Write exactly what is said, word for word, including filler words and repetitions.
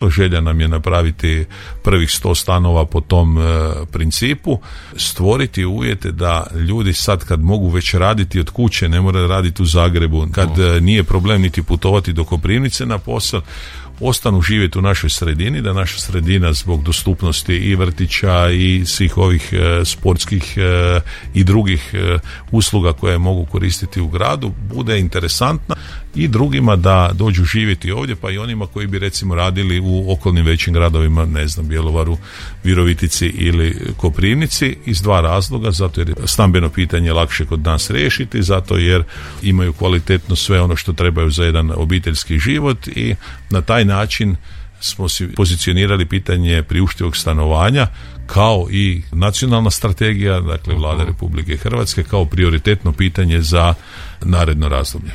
Želja nam je napraviti prvih sto stanova po tom e, principu, stvoriti uvjete da ljudi sad kad mogu već raditi od kuće, ne moraju raditi u Zagrebu, kad e, nije problem niti putovati do Koprivnice na posao, ostanu živjeti u našoj sredini, da naša sredina zbog dostupnosti i vrtića i svih ovih e, sportskih e, i drugih e, usluga koje mogu koristiti u gradu bude interesantna i drugima da dođu živjeti ovdje, pa i onima koji bi recimo radili u okolnim većim gradovima, ne znam, Bjelovaru, Virovitici ili Koprivnici, iz dva razloga, zato jer je stambeno pitanje lakše kod nas riješiti, zato jer imaju kvalitetno sve ono što trebaju za jedan obiteljski život i na taj način smo si pozicionirali pitanje priuštivog stanovanja kao i nacionalna strategija, dakle Vlada Republike Hrvatske, kao prioritetno pitanje za naredno razdoblje.